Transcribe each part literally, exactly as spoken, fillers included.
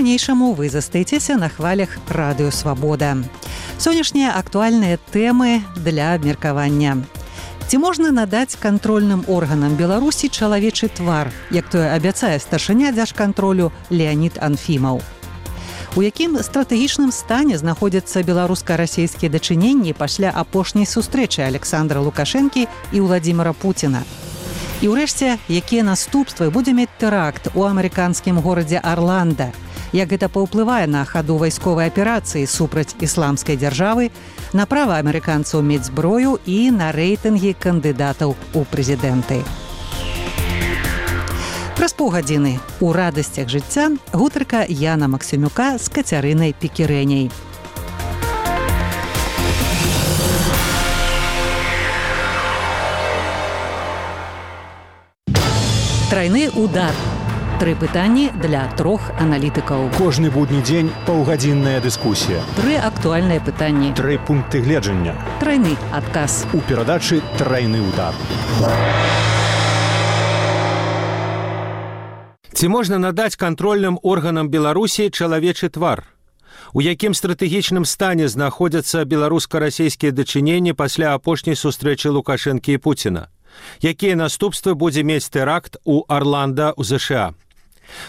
Па-ранейшаму вы застаецеся на хвалях Радыё Свабода. Сённяшнія актуальныя тэмы для абмеркавання. Ці можна надаць кантрольным органам Беларусі чалавечы твар, як тое абяцае старшыня дзяржкантролю Леанід Анфімаў? У якім стратэгічным стане знаходзяцца беларуска-расейскія дачыненні пасля апошняй сустрэчы Александра Лукашэнкі і Владзіміра Пуціна? І ўрэшце, якія наступствы будзе мець тэракт у амерыканскім горадзе Арланда? Як гэта паўплывае на хаду вайсковай аперацыі супраць ісламскай дзяржавы, на права амерыканцаў мець зброю і на рэйтынгі кандыдатаў у прэзідэнты? Праз паўгадзіны у радасцях жыцця гутарка Яна Максімюка з Кацярынай Пекірэняй. Трайны удар. Тры пытанні для трох аналітыкаў. Кожны будні дзень паўгадзінная дыскусія. Тры актуальныя пытанні. Тры пункты гледжання. Трайны адказ. У перадачы «Трайны удар». Ці можна надаць кантрольным органам Беларусі чалавечы твар? У якім стратэгічным стане знаходзяцца беларуска-расейскія дачыненні пасля апошняй сустрэчы Лукашэнкі і Пуціна? Якія наступствы будзе мець тэракт у Арланда ў ЗША?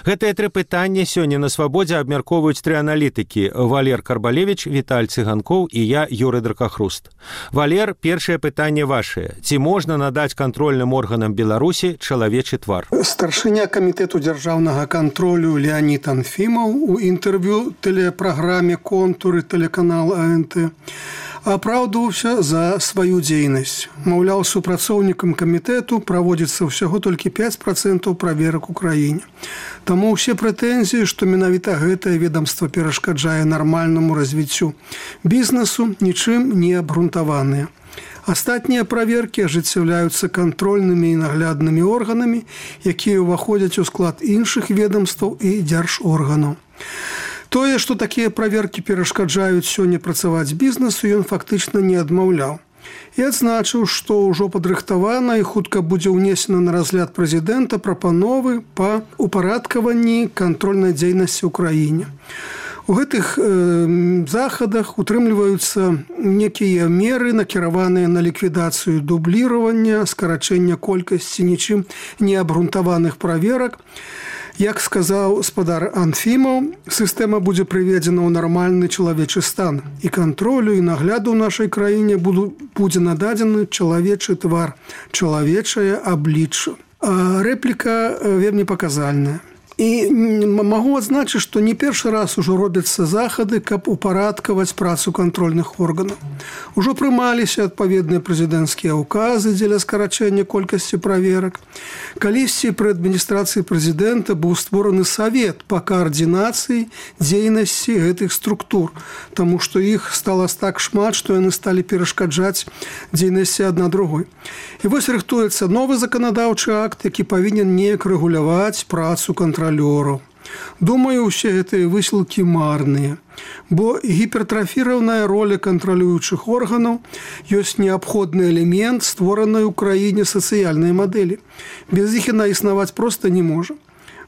Гэтыя тры пытанні сёння на Свабодзе абмяркоўваюць тры аналітыкі: Валер Карбалевіч, Віталь Цыганкоў і я, Юрый Дракахруст. Валер, першае пытанне вашае. Ці можна надаць кантрольным органам Беларусі чалавечы твар? Старшыня камітэту дзяржаўнага кантролю Леанід Анфімаў у інтэрв'ю тэлепраграме «Контуры» тэлеканал АНТ апраўдваўся за сваю дзейнасць. Маўляў, супрацоўнікам камітэту праводзіцца ўсяго толькі пяць працэнтаў праверак у краіне. Таму ўсе прэтэнзіі, што менавіта гэтае ведамства перашкаджае нармальнаму развіццю бізнесу, нічым не абгрунтаваныя. Астатнія праверкі ажыццяўляюцца кантрольнымі і нагляднымі органамі, якія ўваходзяць у склад іншых ведамстваў і дзяржорганаў. Тое, што такія праверкі перашкаджаюць сёння працаваць бізнесу, ён фактычна не адмаўляў. І адзначыў, што ўжо падрыхтавана і хутка будзе ўнесена на разгляд прэзідэнта прапановы па упарадкаванні кантрольнай дзейнасці ў краіне. У гэтых э, захадах утрымліваюцца некія меры, накіраваныя на ліквідацыю дубліравання, скарачэння колькасці нічым не абгрунтаваных праверак. Як сказаў спадар Анфімаў, сістэма будзе прыведзена ў нармальны чалавечы стан, і кантролю і нагляду ў нашай краіне будзе нададзены чалавечы твар, чалавечае аблічча. Рэпліка вельмі паказальная. І магу адзначыць, што не першы раз ужо робяцца захады, каб упарадкаваць працу кантрольных органаў. Ужо прымаліся адпаведныя прэзідэнцкія ўказы дзеля скарачэння колькасці праверак. Калісьці пры адміністрацыі прэзідэнта быў створаны савет па каардынацыі дзейнасці гэтых структур, таму што іх стала так шмат, што яны сталі перашкаджаць дзейнасці адна другой. І вось рыхтуецца новы заканадаўчы акт, які павінен неяк рэгуляваць працу кантролю. Думаю, усе гэтыя высілкі марныя, бо гіпертрафіраваная роля кантралюючых органаў ёсць неабходны элемент створанай у краіне сацыяльнай мадэлі. Без іх яна існаваць проста не можа.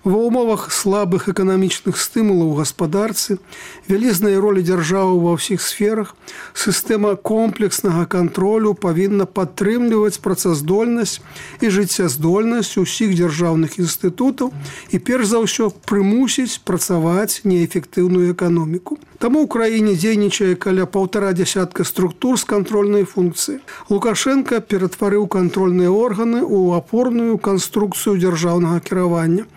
Ва ўмовах слабых эканамічных стымулаў у гаспадарцы, вялізнай ролі дзяржавы ва ўсіх сферах, сістэма комплекснага кантролю павінна падтрымліваць працаздольнасць і жыццяздольнасць усіх дзяржаўных інстытутаў і перш за ўсё прымусіць працаваць неэфектыўную эканоміку. Таму ў краіне дзейнічае каля паўтара дзясятка структур з кантрольнай функцыі. Лукашенка ператварыў кантрольныя органы ў апорную канструкцыю дзяржаўнага кіравання.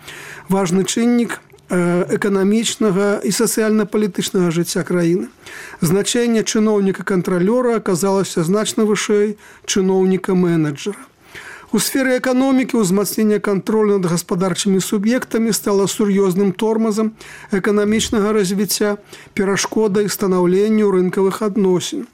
Важны чыннік эканамічнага і сацыяльна-палітычнага жыцця краіны. Значэнне чыноўніка-кантралёра аказалася значна вышэй чыноўніка-менеджера. У сферы эканомікі ўзмацнення кантролю над гаспадарчымі суб'ектамі стала сур'ёзным тормазам эканамічнага развіцця, перашкодай станаўленню рынкавых адносін.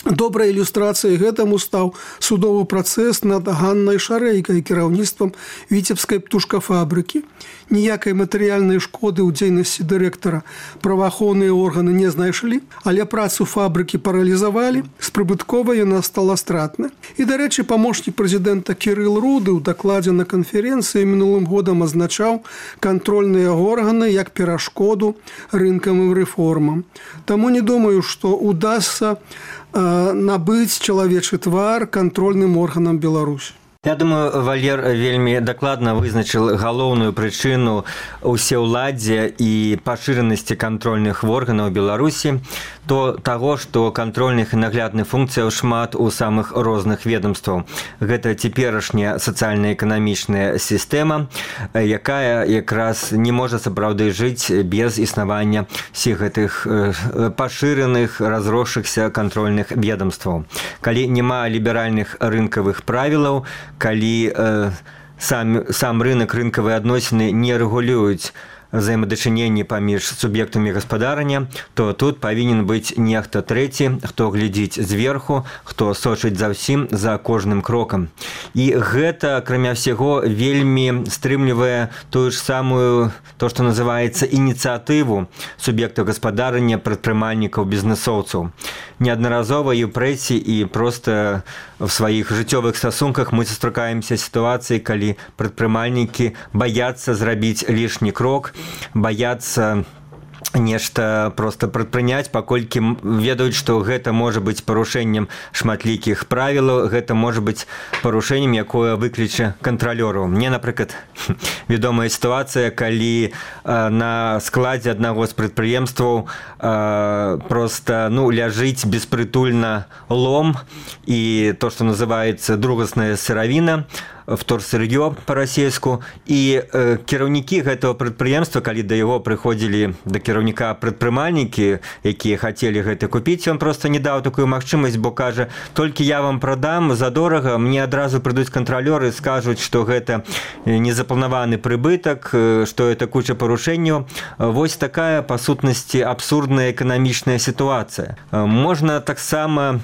Добрай ілюстрацыяй гэтаму стаў судовы працэс над Ганнай Шарэйкай кіраўніцтвам віцебскай птушкафабрыкі. Ніякай матэрыяльнай шкоды ў дзейнасці дырэктара праваахоўныя органы не знайшлі, але працу фабрыкі паралізавалі, з прыбытковай яна стала стратнай. І, дарэчы, памочнік прэзідэнта Кірыл Руды ў дакладзе на канферэнцыі мінулым годам азначаў кантрольныя органы як перашкоду рынкавым рэформам. Таму не думаю, што удасца набыць чалавечы твар кантрольным органам Беларусі. Я думаю, Валер вельмі дакладна вызначыў галоўную прычыну ўсеўладдзя і пашыранасці кантрольных органаў Беларусі, то таго, што кантрольных і наглядных функцыяў шмат у самых розных ведомстваў. Гэта цяперашняя сацыяльна-эканамічная сістэма, якая якраз не можа сапраўды жыць без існавання всіх гэтых пашыраных, разросшихся кантрольных ведомстваў. Калі няма ліберальных рынкавых правілаў, калі э, сам, сам рынок, рынкавыя адносіны не рэгулююць взаимодачыненні паміж суб'ектамі гаспадарання, то тут павінен быць нехта трэці, хто глядзіць зверху, хто сочыць за ўсім, за кожным крокам. І гэта, акрамя ўсяго, вельмі стрымлівае тую ж самую, то, што называецца ініцыятыву суб'ектаў гаспадарання, прадпрымальнікаў, бізнесоўцаў. Неаднаразова і ў прэсе, і проста в сваіх жыццёвых стасунках мы сустракаемся сітуацыі, калі прадпрымальнікі баяцца зрабіць лішні крок, баяцца нешта просто прадпрыняць, паколькі ведаюць, што гэта можа быць парушэннем шматлікіх правілаў, гэта можа быць парушэннем, якое выкліча кантралёру. Мне, напрыклад, вядомая сітуацыя, калі э, на складзе аднаго з прадпрыемстваў э, просто ну, ляжыць беспрытульна лом і то, што называецца другасная сыравіна, вторсыр'ё па-расейску, і э, кіраўнікі гэтага прадпрыемства, калі да яго прыходзілі да кіраўніка прадпрымальнікі, якія хацелі гэта купіць, ён проста не даў такую магчымасць, бо кажа, толькі я вам прадам задорага, мне адразу прыйдуць кантралёры, скажуць, што гэта незапланаваны прыбытак, што это куча парушэнняў. Вось такая, па сутнасці, абсурдная эканамічная сітуацыя. Можна таксама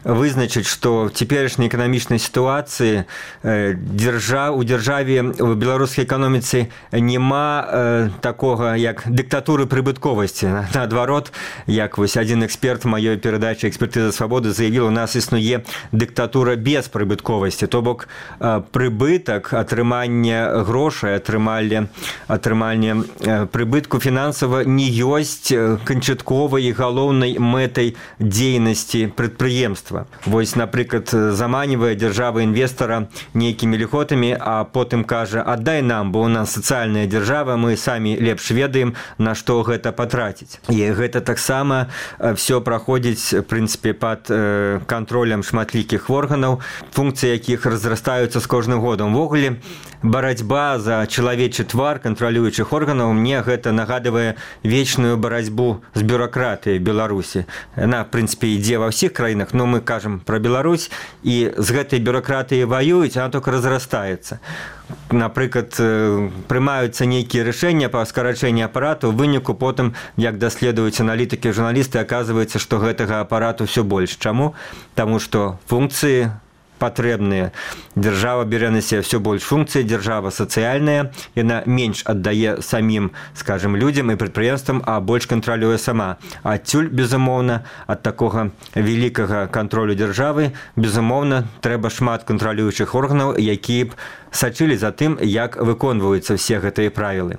вызначыць, што в цяперашняй эканамічнай сітуацыі дзяржа, у дзяржаве, у беларускай эканоміцы няма э, такога, як дыктатуры прыбытковасці. Наадварот, як вось адзін эксперт маёй перадачы «Экспертыза свабоды» заявіў, у нас існуе дыктатура без прыбытковасці. То бок э, прыбытак, атрыманне грошай, атрыманне, атрыманне э, прыбытку фінансава не ёсць канчатковай і галоўнай мэтай дзейнасці прадпрыемства. Вось, напрыклад, заманівае дзяржава інвестара нейкімі льготамі, а потым кажа, аддай нам, бо у нас сацыяльная дзяржава, мы самі лепш ведаем, на што гэта патраціць. І гэта таксама все праходзіць, в прынцыпе, пад э, кантролем шматлікіх органаў, функцыі якіх разрастаюцца з кожным годам. Увогуле, барацьба за чалавечы твар кантралюючых органаў, мне гэта нагадывае вечную барацьбу з бюракратыяй Беларусі. Яна, в прынцыпе, ідзе ва ўсіх краінах, но мы кажам про Беларусь, і з гэтай бюракратыяй ваююць, она только разрастаецца. Напрыклад, прымаюцца нейкія рашэння па скарачэнні апарату, у выніку потым, як даследуюць аналітыкі, журналісты, аказваецца, што гэтага апарату все больш. Чаму? Таму што функцыі патрэбныя. Дзяржава бярэ на сябе все больш функцый, дзяржава сацыяльная, яна менш аддае самім, скажем, людзям і прадпрыемствам, а больш кантралюе сама. Адсюль, безумоўна, ад такога вялікага кантролю дзяржавы, безумоўна, трэба шмат кантралюючых органаў, якія б сачылі за тым, як выконваюцца все гэтыя правілы.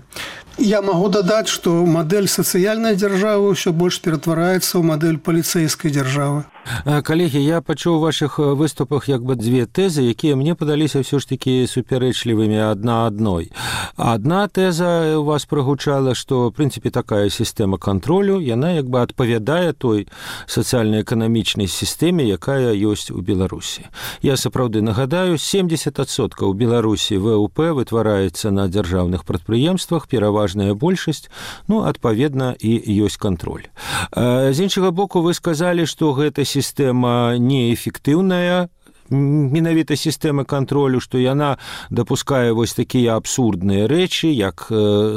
Я могу дадаць, што мадэль сацыяльнай дзяржавы ўсё больш ператвараецца ў мадэль паліцэйскай дзяржавы. Калегі, я пачуў у вашых выступах як бы дзве тэзы, якія мне падаліся ўсё ж такі супярэчлівымі адна адной. Адна тэза у вас прагучала, што, в прынцыпе, такая сістэма кантролю, яна як бы адпавядае той сацыяльна-эканамічнай сістэме, якая ёсць у Беларусі. Я сапраўды нагадаю, семдзесят адсоткаў у Беларусі ВУП вытвараецца на дзяржаўных прадпрыемствах, пераважная большасць, ну, адпаведна, і ёсць кантроль. З іншага боку, вы сказалі, што гэта сістэма неэфектыўная, менавіта сістэмы кантролю, што яна дапускае вось такія абсурдныя рэчы, як,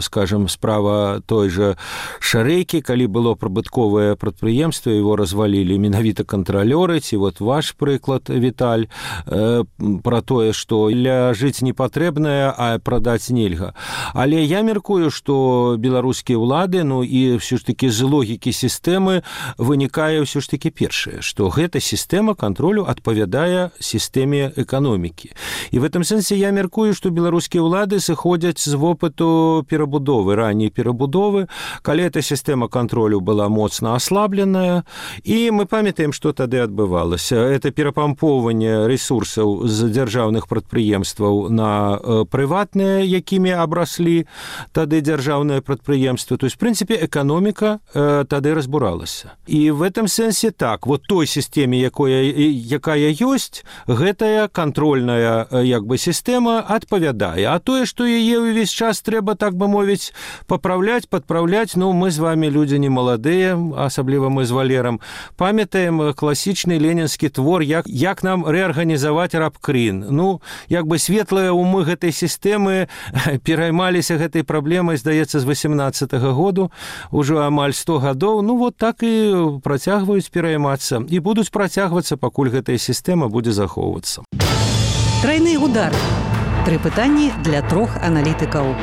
скажем, справа той жа Шарэйкі, калі было прыбытковае прадпрыемства, его развалілі менавіта кантралёры, ці вот ваш прыклад, Віталь, пра тое, што ляжыць не патрэбнае, а прадаць нельга. Але я меркую, што беларускія ўлады, ну і ўсё ж такі з логікі сістэмы вынікае ўсё ж такі першае, што гэта сістэма кантролю адпавядае сістэме эканомікі. І в этом сэнсе я меркую, што беларускія ўлады сыходзяць з вопыту перабудовы, ранняй перабудовы, калі эта сістэма кантролю была моцна аслабленая, і мы памятаем, што тады адбывалася. Это перапампоўванне ресурсаў з дзяржаўных прадпрыемстваў на прыватныя, якімі абраслі тады дзяржаўныя прадпрыемствы. То есть, в принципе, эканоміка тады разбуралася. І в этом сэнсе так, вот той сістэме, якая, якая ёсць, гэтая кантрольная як бы сістэма адпавядае. А тое, што яе ўвесь час трэба, так бы мовіць, папраўляць, падпраўляць, ну, мы з вами людзі не маладыя, асабліва мы з Валерам, памятаем класічны ленінскі твор, як, як нам рэарганізаваць рабкрын. Ну, як бы светлыя умы гэтай сістэмы пераймаліся гэтай праблемай, здаецца, з васемнаццатага году, ужо амаль сто гадоў, ну, вот так і працягваюць пераймацца. І будуць працягвацца, пакуль гэтая сістэма будзе захоўвацца. Трайны удар. Тры пытанні для трох аналітыкаў.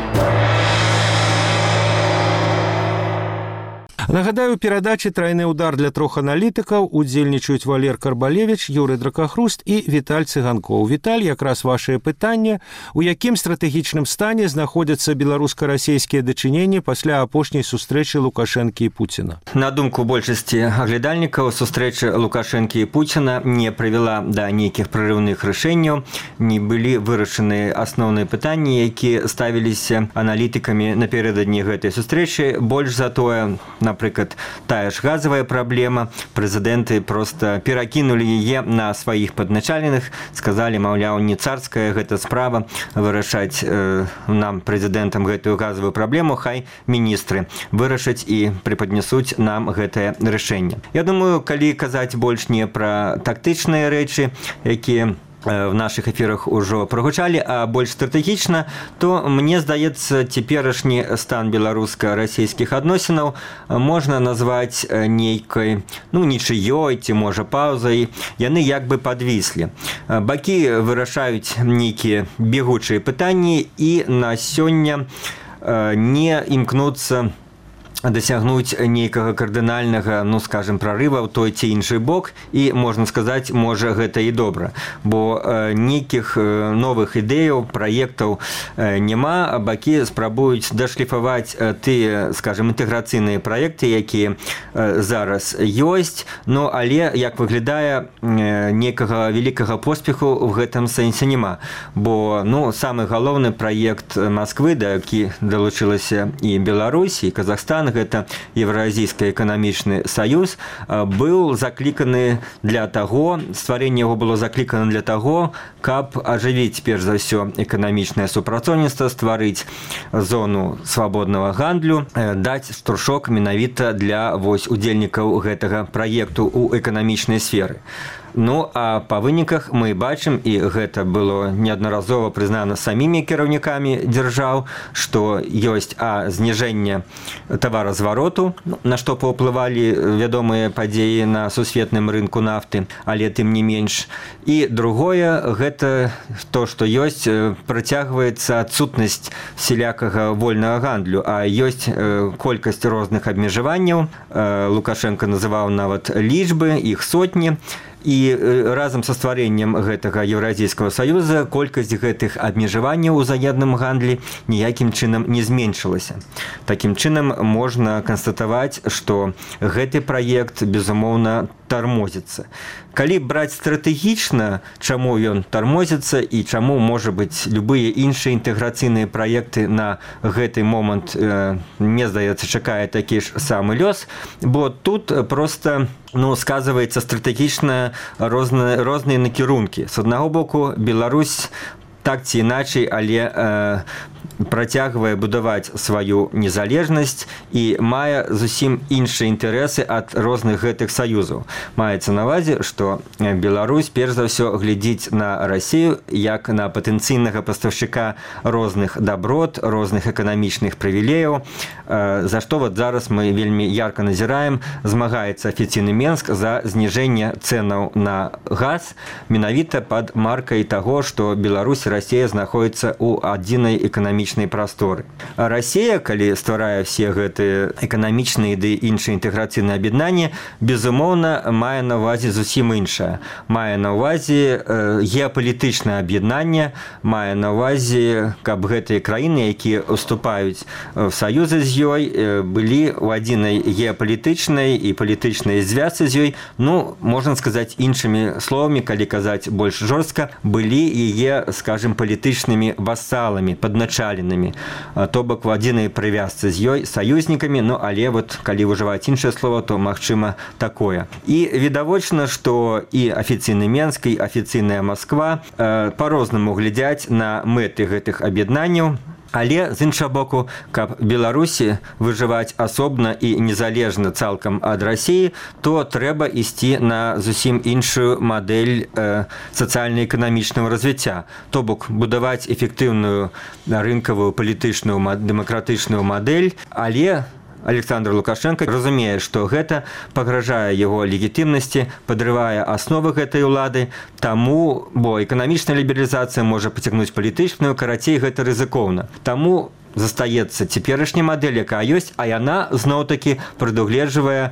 Нагадаю, перадачы «Трайны удар» для трох аналітыкаў удзельнічаюць Валер Карбалевіч, Юрый Дракахруст і Віталь Цыганкоў. Віталь, якраз вашае пытанне, у якім стратэгічным стане знаходзяцца беларуска-расейскія дачыненні пасля апошняй сустрэчы Лукашэнкі і Пуціна? На думку большасці аглядальнікаў, сустрэча Лукашэнкі і Пуціна не прывяла да нейкіх прарыўных рашэнняў, не былі вырашаны асноўныя пытанні, якія ставіліся аналітыкамі напярэдадні гэтай сустрэчы. Больш за тое, на Напрыклад, тая ж газавая праблема, прэзідэнты проста перакінулі яе на сваіх падначаленых, сказалі, маўляў, не царская гэта справа вырашаць э, нам, прэзідэнтам, гэтую газавую праблему, хай міністры вырашаць і прыпаднясуць нам гэтае рашэнне. Я думаю, калі казаць больш не пра тактычныя рэчы, якія в наших эфирах уже прогучали, а больше стратегично, то, мне здаецца, цяперашні стан беларуска-расійскіх адносінаў можна назваць нейкай, ну, нічыёй, ці, можа, паўзай. Яны як бы падвіслі. Бакі вырашаюць нейкія бегучыя пытанні і на сёння не імкнуцца дасягнуць нейкага кардынальнага, ну, скажем, прарыва ў той ці іншы бок, і, можна сказаць, можа, гэта і добра, бо э, нейкіх э, новых ідэяў, праектаў э, няма, а бакі спрабуюць дашліфаваць э, тыя, скажем, інтэграцыйныя праекты, якія э, зараз ёсць, ну, але, як выглядае, э, нейкага вялікага поспеху в гэтым сэнсе няма, бо, ну, самы галоўны праект Масквы, да які далучылася і Беларусь, і Казахстан, гэта Еўразійскі эканамічны саюз, быў закліканы для таго, стварэнне яго было заклікана для таго, каб ажывіць, перш за ўсё, эканамічнае супрацоўніцтва, стварыць зону свабоднага гандлю, даць штуршок менавіта для вось удзельнікаў гэтага праекту ў эканамічнай сферы. Ну, а па выніках мы бачым, і гэта было неаднаразова прызнана самімі кіраўнікамі дзяржаў, што ёсць, а, зніжэнне таваразвароту, на што паўплывалі вядомыя падзеі на сусветным рынку нафты, але тым не менш. І другое, гэта то, што ёсць, працягваецца адсутнасць всялякага вольнага гандлю, а ёсць колькасць розных абмежаванняў. Лукашенко называў нават лічбы, іх сотні. І разам са стварэннем гэтага Еўразійскага саюза колькасць гэтых абмежаванняў у заядным гандлі ніякім чынам не зменшылася. Такім чынам можна канстатаваць, што гэты праект, безумоўна, тармозіцца. Калі браць стратэгічна, чаму ён тармозіцца і чаму, можа быць, любыя іншыя інтэграцыйныя праекты на гэты момант, э, мне здаецца, чакае такі ж самы лёс, бо тут проста, ну, сказываецца стратэгічна розныя, розныя накірункі. З аднаго боку, Беларусь так ці іначай, але э, працягвае будаваць сваю незалежнасць і мае зусім іншыя інтарэсы ад розных гэтых саюзаў. Маецца на ўвазе, што Беларусь перш за ўсё глядзіць на Расію як на патэнцыйнага пастаўшчыка розных даброт, розных эканамічных прывілеяў, за што вот зараз мы вельмі ярка назіраем, змагаецца афіцыйны Менск за зніжэнне цэнаў на газ менавіта пад маркай таго, што Беларусь і Расія знаходзяцца ў адзінай эканамічнай прасторы. А Расія, калі стварае все гэтыя эканамічныя ды іншыя інтэграцыйныя аб'яднанні, безумоўна, мае на ўвазе зусім іншае. Мае на ўвазе геапалітычнае аб'яднанне, мае на ўвазе, каб гэтыя краіны, якія уступаюць в саюзы з ёй, былі ў адзінай геапалітычнай і палітычнай звязцы з ёй, ну, можна сказаць іншымі словамі, калі казаць больш жорстка, былі яе, скажем, палітычнымі васаламі, падначаленымі, то бок у адзінай прывязцы з ёй саюзнікамі, ну, але вот, калі выжываць іншае слово, то, магчыма, такое. І відавочна, што і афіцыйны Менск, і афіцыйная Масква э, па-рознаму глядзяць на мэты гэтых аб'яднанняў, але, з іншага боку, каб Беларусі выжываць асобна і незалежна цалкам ад Расіі, то трэба ісці на зусім іншую мадэль э, сацыяльна-эканамічнага развіцця. То бок будаваць эфектыўную рынкавую палітычную дэмакратычную мадэль, але Александр Лукашенко разумее, што гэта пагражае яго легітымнасці, падрывае асновы гэтай улады, таму, бо эканамічная лібералізацыя можа пацягнуць палітычную, карацей, гэта рызыкоўна. Таму застаецца цяперашняя мадэль, якая ёсць, а яна зноў-такі прадугледжвае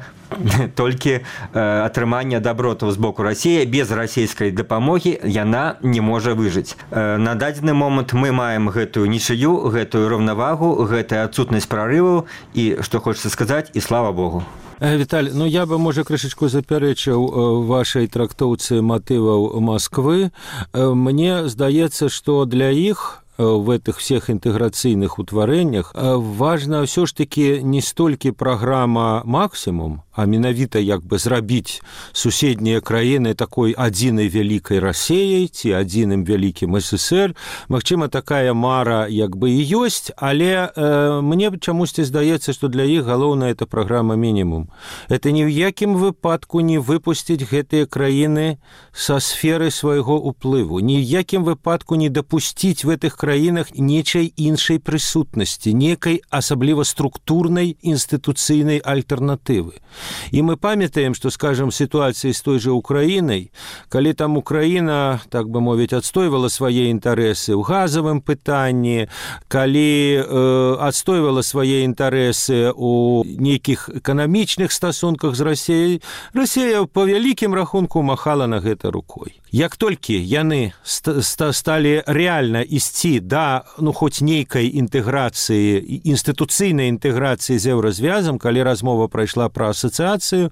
толькі э, атрымання дабротаў з боку Расіі. Без расійскай дапамогі яна не можа выжыць. Э, на дадзены момант мы маем гэтую нічыю, гэтую раўнавагу, гэтая адсутнасць прарываў і, што хочацца сказаць, і слава Богу. Віталь, ну я бы, можа, крышачку запярэчыў вашай трактоўцы матываў Масквы. Мне здаецца, што для іх в этих всех интеграцийных утворениях важна все ж таки не столькі программа «Максимум», а менавіта як бы зрабіць суседнія краіны такой адзінай вялікай Расіяй ці адзіным вялікім СССР. Магчыма, такая мара як бы і ёсць, але э, мне чамусьці здаецца, што для іх галоўная это праграма «Мінімум». Это ні ў якім выпадку не выпусціць гэтыя краіны са сферы свайго ўплыву, ні ў якім выпадку не дапусціць в гэтых краінах нечай іншай прысутнасці, некай асабліва структурнай інстытуцыйнай альтэрнатывы. І мы памятаем, што, скажем, сітуацыі з той жа Украінай, калі там Украіна, так бы мовіць, адстойвала свае інтарэсы ў газавым пытанні, калі э, адстойвала свае інтарэсы ў нейкіх эканамічных стасунках з Расіяй, Расія па вялікім рахунку махала на гэта рукой. Як толькі яны сталі рэальна ісці да, ну, хоць нейкай інтэграцыі, інстытуцыйнай інтэграцыі з еўразвязам, калі размова прайшла пра асацыяцыю,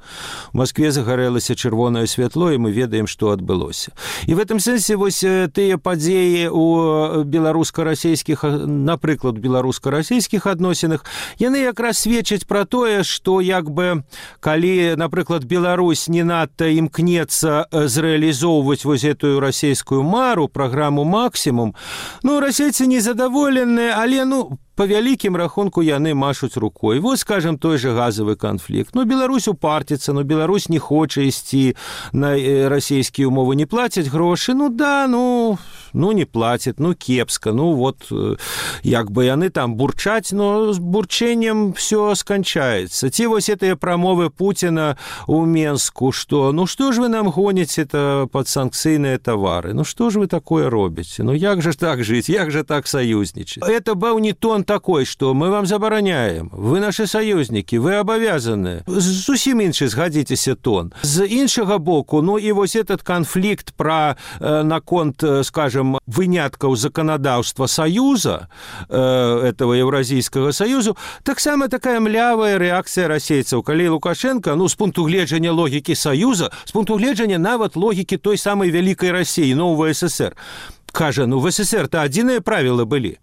у Маскве загарэлася чырвонае святло, і мы ведаем, што адбылося. І в этом сэнсе вось тыя падзеі ў беларуска-расійскіх, напрыклад, беларуска-расійскіх адносінах, яны якраз сведчаць пра тое, што як бы, калі, напрыклад, Беларусь не надта імкнецца зрэалізоўваць вось этую расійскую мару, праграму «Максимум», ну, расейцы незадаволеныя, але, ну, по вялікім рахунку яны машуць рукой. Вот, скажем, той же газовый конфликт. Ну, Беларусь упартится, но Беларусь не хоча ісці на расійскія умовы, не платять грошы. Ну, да, ну, ну не платят, ну, кепска. Ну, вот, як бы яны там бурчаць, но с бурчэннем все скончается. Ці вось этыя прамовы Путина у Менску, что, ну, что ж вы нам гоните это под санкцыйныя товары? Ну, что ж вы такое робіце? Ну, як же так жить? Як же так союзничать? Это был не тон такой, что мы вам забараняем, вы наши союзники, вы обовязаны. Зусім іншы згадзіцеся тон. З іншага боку, ну і вось этот конфликт про э, наконт, скажем, выняткаў законодаўства Союза, э, этого Евразийского Союзу, таксама такая млявая реакция расейцаў, калі Лукашенко, ну, з пункту гледжання логікі Союза, з пункту гледжання нават логікі той самой великой России, нового СССР, кажа, ну, в СССР-то одиные правила были.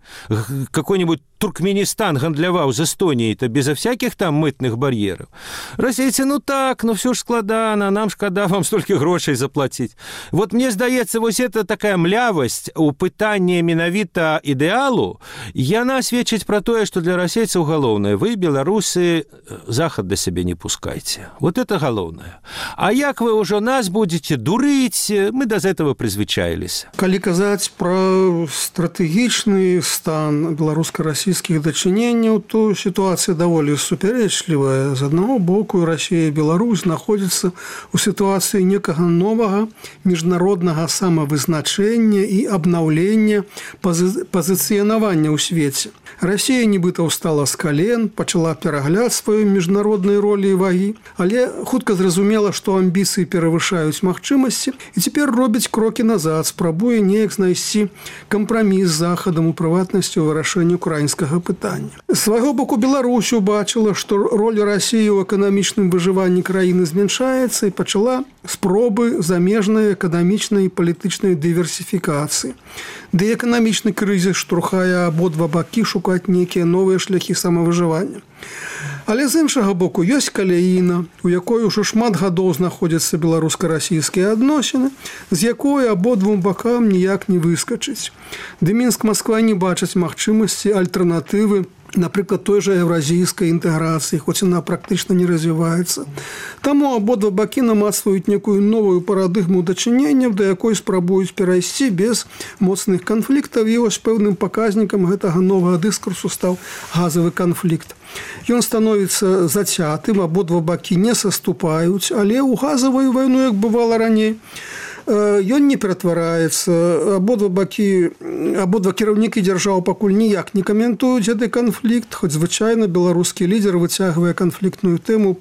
Какой-нибудь Туркменістан гандляваў з Эстоніяй, то безо всякіх там мытных бар'ераў. Расейцы, ну так, ну все ж складана, нам шкада вам столькі грошай заплаціць. Вот мне здаецца, вось это такая млявасць у пытанні менавіта ідэалу, яна сведчыць пра тое, што для расейцаў галоўнае: вы, беларусы, захад да сябе не пускайце. Вот это галоўнае. А як вы ўжо нас будете дурыць, мы да этого прызвычаіліся. Калі казаць пра стратэгічны стан беларуска-расійскіх дачыненняў, то сітуацыя даволі супярэчлівая. З аднаго боку, Расія і Беларусь знаходзяцца ў сітуацыі некага новага міжнароднага самавызначэння і абнаўлення пазы... пазіцыянавання ў свеце. Расія нібыта ўстала з кален, пачала перагляд сваёй міжнароднай ролі і вагі, але хутка зразумела, што амбіцыі перавышаюць магчымасці, і цяпер робіць крокі назад, спрабуе неяк знайсці кампраміс з захадам, у прыватнасці ў вырашэнні украінскага пытання. З свайго боку, Беларусь убачыла, што роля Расіі ў эканамічным выжыванні краіны змяншаецца, і пачала спробы замежнай эканамічнай і палітычнай дыверсіфікацыі. Ды эканамічны крызіс штурхае абодва бакі шукаць нейкія новыя шляхі самавыжывання. Але з іншага боку, ёсць каляіна, у якой ужо шмат гадоў знаходзяцца беларуска-расійскія адносіны, з якой абодвум бакам ніяк не выскачыць. Ды Мінск-Масква не бачаць магчымасці альтэрнатывы, напрыклад, той жа еўразійскай інтэграцыі, хоць яна практычна не развіваецца. Таму абодва бакі намацваюць некую новую парадыгму дачыненняў, да якой спрабуюць перайсці без моцных канфліктаў, і вось пэўным паказнікам гэтага новага дыскурсу стаў газавы канфлікт. Ён становіцца зацятым, абодва бакі не саступаюць, але ў газавую вайну, як бывала раней, ён не ператвараецца. Абодва бакі, абодва кіраўнікі дзяржаў пакуль ніяк не каментуюць гэты канфлікт, хоць звычайна беларускі лідер выцягвае канфліктную тэму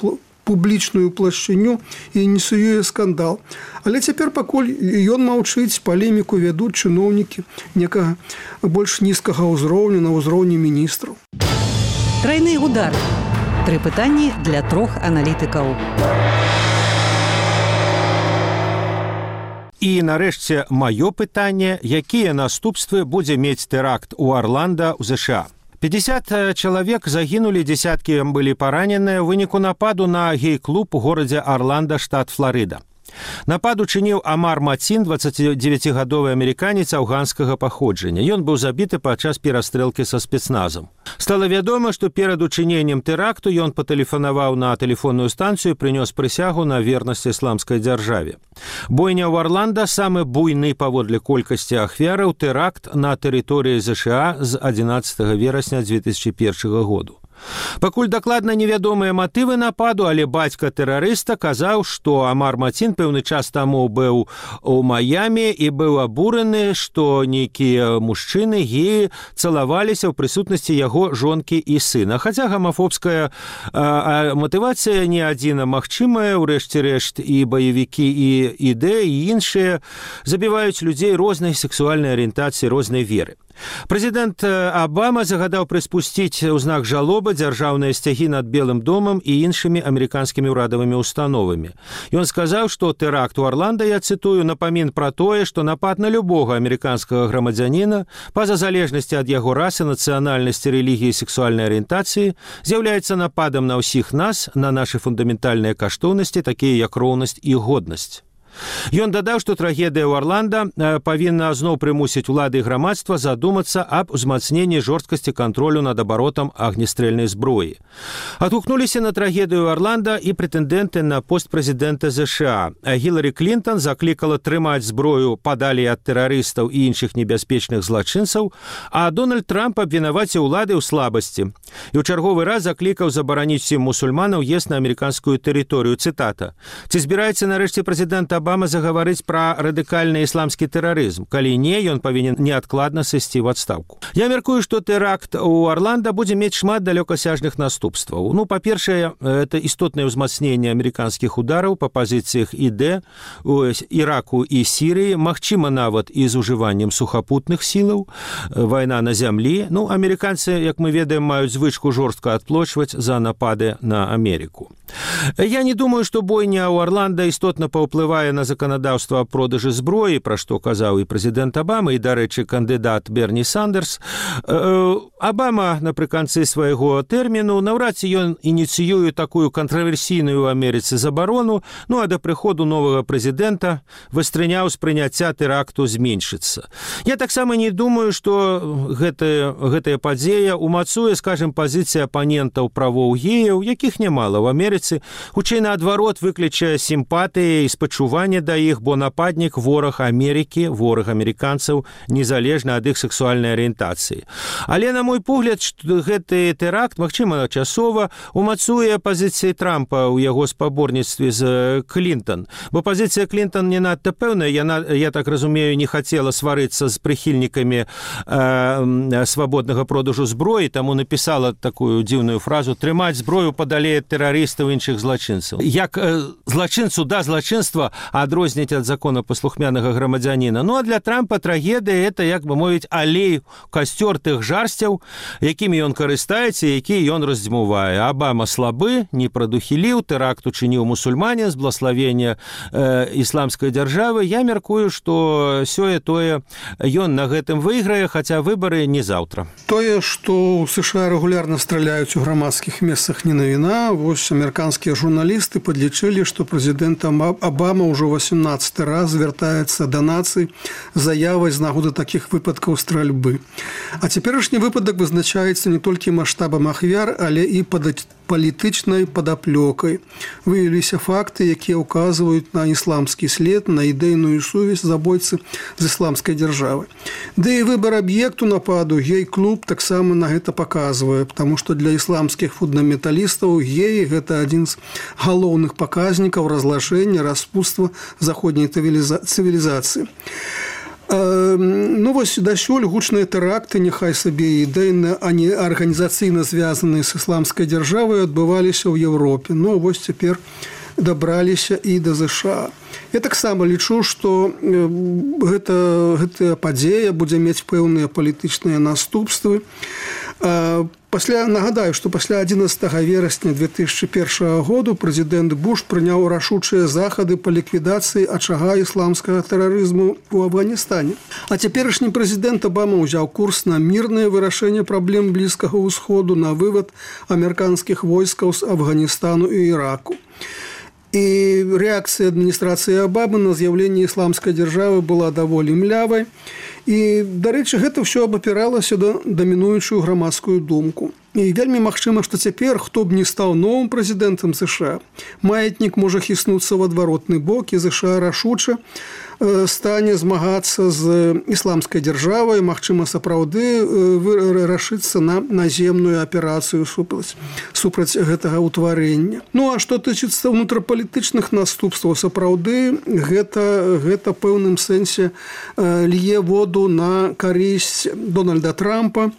публічную плашчыню і ініцыюе скандал. Але цяпер пакуль ён маўчыць, палеміку вядуць чыноўнікі некага больш нізкага ўзроўню, на ўзроўні міністраў. Трайны удар. Тры пытанні для трох аналітыкаў. І, нарэшце, маё пытанне, якія наступствы будзе мець тэракт у Арланда ў ЗША. пятьдесят чалавек загінулі, дзесяткі былі параненыя ў выніку нападу на гей-клуб у горадзе Арланда, штат Фларыда. Напад учыніў Амар Мацін, дваццацідзевяцігадовы амерыканец афганскага паходжання. Ён быў забіты падчас перастрэлкі са спецназам. Стала вядома, што перад учыненнем тэракту ён патэлефанаваў на тэлефонную станцыю і прынёс прысягу на вернасць ісламскай дзяржаве. Бойня ў Арланда самы буйны паводле колькасці ахвяраў тэракт на тэрыторыі ЗША з адзінаццатага верасня дзве тысячы першага году. Пакуль дакладна невядомыя матывы нападу, але бацька тэрарыста казаў, што Амар Мацін пэўны час таму быў у Маямі і быў абураны, што нейкія мужчыны геі цалаваліся ў прысутнасці яго жонкі і сына. Хаця гамафобская а, матывацыя не адзіна магчымая, урэшце рэшт і баевікі, і ідэі, і іншыя забіваюць людзей рознай сексуальнай арыентацыі, рознай веры. Прэзідэнт Абама загадаў прыспусціць у знак жалобы дзяржаўныя сцягі над Белым домам і іншымі амерыканскімі ўрадавымі установамі. Ён сказаў, што тэракт у Арланда, я цытую, напамін пра тое, што напад на любога амерыканскага грамадзяніна, па-за залежнасці ад яго расы, нацыянальнасці, рэлігіі і сексуальнай арыентацыі, з'яўляецца нападам на ўсіх нас, на нашы фундаментальныя каштоўнасці, такія як роўнасць і годнасць. Ён дадаў, што трагедыя ў Арланда павінна зноў прымусіць улады і грамадства задумацца аб узмацненні жорсткасці кантролю над абаротам агнестрэльнай зброі. Адгукнуліся на трагедыю Арланда і прэтэндэнты на пост прэзідэнта ЗША. Гіларі Клінтон заклікала трымаць зброю падалей ад тэрарыстаў і іншых небяспечных злачынцаў, а Дональд Трамп абвінаваціў улады ў слабасці. І ў чарговы раз заклікаў забараніць усім мусульманам уезд на амерыканскую тэрыторыю. Цытата. Ці збіраецца нарэшце прэзідэнт Абама загаварыць пра радыкальны ісламскі тэрарызм. Калі не, ён павінен неадкладна сысці ў адстаўку. Я мяркую, што тэракт у Арланда будзе мець шмат далёкасяжных наступстваў. Ну, па-першае, это істотнае ўзмацненне амерыканскіх удараў па пазіцыях ІД у Іраку і Сірыі, магчыма нават і з ужываннем сухапутных сілаў, вайна на зямлі. Ну, амерыканцы, як мы ведаем, маюць звычку жорстка адплочваць за напады на Амерыку. Я не думаю, што бойня ў Арланда істотна паўплывае уплывае на заканадаўства аб продажы зброі, пра што казаў і прэзідэнт Абама, і, дарэчы, кандыдат Берні Сандерс. Абама напрыканцы свайго тэрміну наўрад ці ён ініцыюе такую кантраверсійную ў Амерыцы забарону, ну а да прыходу новага прэзідэнта вастрыня ўспрыняцця тэракту зменшыцца. Я таксама не думаю, што гэтая, гэтая падзея умацуе, скажем, пазіцыі апанентаў правоў геяў, якіх нямала ў Амерыцы, хутчэй наадварот выклічае сімпатыі і спачуванне да іх, бо нападнік вораг Амерыкі, вораг амерыканцаў, незалежна ад іх сексуальнай арыентацыі. Але, на мой погляд, гэты тэракт, магчыма, часова умацуе пазіцыі Трампа ў яго спаборніцтве з Клінтон. Бо пазіцыя Клінтон не надта пэўная, яна, я так разумею, не хацела сварыцца з прыхільнікамі э, свабоднага продажу зброі, таму напісала такую дзіўную фразу «трымаць зброю падалее тэрарыстаў іншых злачынцаў». Як э, злачынцу да злачынства адрозніць ад законапаслухмянага грамадзяніна. Ну а для Трампа трагедыя – это, як бы мовіць, алей касцёр тых жарсцяў, якімі ён карыстаецца, які ён раздзьмувае. Абама слабы, не прадухіліў, тэракт учыніў мусульмане з благословення э, ісламскай дзяржавы. Я мяркую, што сёе-тое ён на гэтым выйграе, хаця выбары не заўтра. Тое, што ў США рэгулярна страляюць у грамадскіх месцах, не навіна. Вось амерыканскія журналісты падлічылі, што прэзідэнт Абама ўжо васямнаццаты раз звяртаецца да нацый з заявай з нагоды такіх выпадкаў стральбы. А цяперашні выпадак вызначаецца не толькі маштабам ахвяр, але і палітычнай падаплёкай. Выявіліся факты, якія ўказваюць на ісламскі след, на ідэйную сувязь забойцы з ісламскай дзяржавы. Ды і выбар аб'екту нападу гей-клуб таксама на гэта паказвае, потому што для ісламскіх фундаменталістаў геі – гэта адзін з галоўных паказнікаў разлашэння, распутства заходняй цывілізацыі. Ну вось дасюль гучныя тэракты, няхай сабе ідэйна, а не арганізацыйна звязаныя з ісламскай дзяржавай, адбываліся ў Еўропе. Ну вось цяпер дабраліся і да ЗША. Я таксама лічу, што гэта, гэтая падзея будзе мець пэўныя палітычныя наступствы. Пасля, нагадаю, што пасля адзінаццатага верасня две тысячы першага году прэзідэнт Буш прыняў рашучыя захады па ліквідацыі ачага ісламскага тэрарызму ў Афганістане. А цяперашні прэзідэнт Абама ўзяў курс на мірнае вырашэнне праблем Блізкага ўсходу, на вывад амерыканскіх войскаў з Афганістану і Іраку. І рэакцыя адміністрацыі Абамы на з'яўленне ісламскай дзяржавы была даволі млявай. І, дарэчы, гэта ўсё абапіралася да дамінуючую грамадскую думку. І вельмі магчыма, што цяпер, хто б не стаў новым прэзідэнтам ЗША, маятнік можа хіснуцца ў адваротны бок, і ЗША рашуча стане змагацца з ісламскай дзяржавай, магчыма, сапраўды рашыцца на наземную аперацыю супраць, супраць гэтага ўтварэння. Ну, а што тычыцца ўнутрапалітычных наступстваў, сапраўды гэта, гэта пэўным сэнсе лье воду на карысць Дональда Трампа.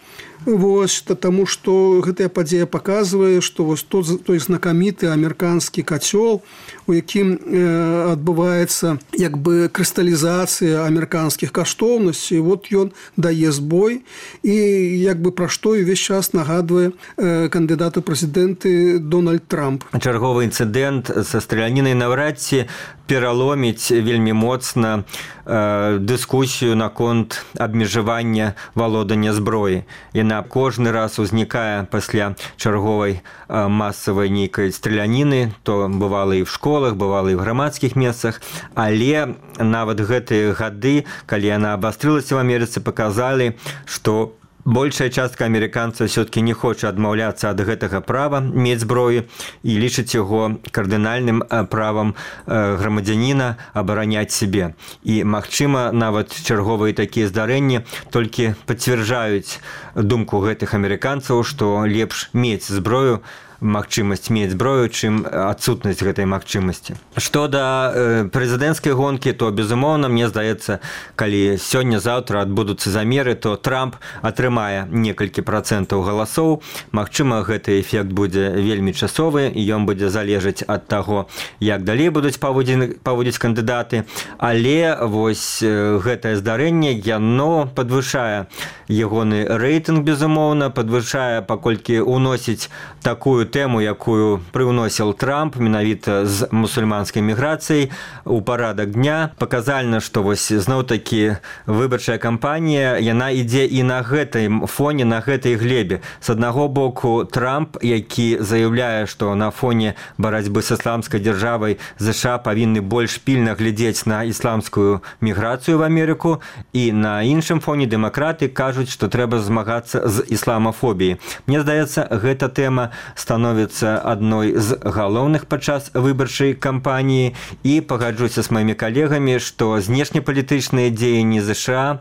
Вось, таму што гэтая падзея паказвае, што вось той, той знакаміты амерыканскі кацёл, у якім э, адбываецца як бы крысталізацыя амерыканскіх каштоўнасцей, вот ён дае збой і як бы пра што увесь час нагадвае э, кандыдату прэзідэнты Дональд Трамп. Чарговы інцыдэнт са стралянінай наўрад ці пераломіць вельмі моцна э, дыскусію наконт абмежавання валодання зброі. Яна кожны раз узнікае пасля чарговай э, масавай нейкай страляніны, то бывала і в школах, бывала і в грамадскіх месцах, але нават гэтыя гады, калі яна абастрылася в Амерыцы, паказалі, што большая частка амерыканцаў все-таки не хоча адмаўляцца ад гэтага права мець зброю і лічыць яго кардынальным правам грамадзяніна абараняць сябе. І, магчыма, нават чарговыя такія здарэнні толькі пацвярджаюць думку гэтых амерыканцаў, што лепш мець зброю, магчымасць мець зброю, чым адсутнасць гэтай магчымасці. Што да э, прэзідэнцкай гонкі, то, безумоўна, мне здаецца, калі сёння-заўтра адбудуцца замеры, то Трамп атрымае некалькі працэнтаў галасоў. Магчыма, гэты эфект будзе вельмі часовы, і ён будзе залежаць ад таго, як далей будуць паводзіць кандыдаты. Але вось э, гэтае здарэнне, яно падвышае ягоны рэйтынг, безумоўна, падвышае, паколькі ўносіць такую тэму, якую прыўносіў Трамп менавіта з мусульманскай міграцыяй у парадак дня. Паказальна, што вось зноў-такі выбарчая кампанія, яна ідзе і на гэтай фоне, на гэтай глебе. З аднаго боку Трамп, які заяўляе, што на фоне барацьбы з ісламскай дзяржавай ЗША павінны больш пільна глядзець на ісламскую міграцыю в Амерыку, і на іншым фоне дэмакраты кажуць, што трэба змагацца з ісламафобіяй. Мне здаецца, гэта тэма становіцца адной з галоўных падчас выбарчай кампаніі, і пагаджуся з маімі калегамі, што знешнепалітычныя дзеянні ЗША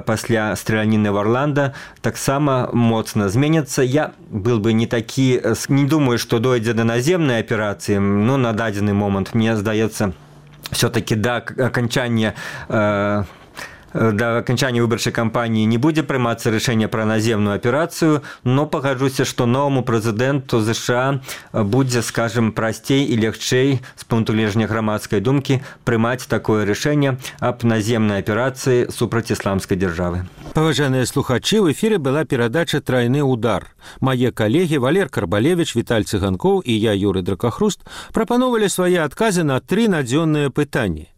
пасля страляніны в Орландо таксама моцна зменяцца. Я был бы не такі, не думаю, што дойдзе да наземнай аперацыі, но на дадзены момант, мне здаецца, все-таки да окончания э, да окончания выбарчай кампании не будзе прымацца рашэнне пра наземную аперацыю, но пагаджуся, што новаму прэзідэнту ЗША будзе, скажем, прасцей і лягчэй з пункту гледжання грамадскай думкі прымаць такое рашэнне аб наземнай аперацыі супраць ісламскай дзяржавы. Паважаныя слухачы, в эфире была перадача «Тройны удар». Мае калегі Валер Карбалевич, Віталь Цыганкоў і я, Юрый Дракахруст, прапановалі свае адказы на тры надзённыя пытанні.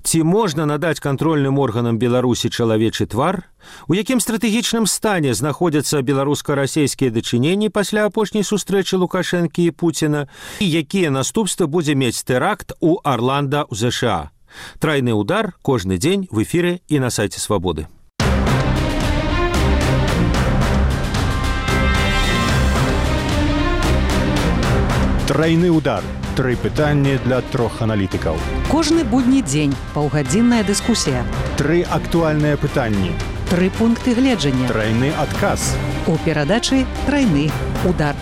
Ці можна надаць кантрольным органам Беларусі чалавечы твар? У якім стратэгічным стане знаходзяцца беларуска-расейскія дачыненні пасля апошняй сустрэчы Лукашэнкі і Пуціна? І якія наступствы будзе мець тэракт у Орландо ў ЗША? «Тройны удар» кожны дзень в эфире і на сайце Свабоды. Тройны удар. Тры пытанні для трох аналітыкаў. Кожны будні дзень паўгадзінная дыскусія. Тры актуальныя пытанні. Тры пункты гледжання. Тройны адказ. У перадачы «Тройны удар».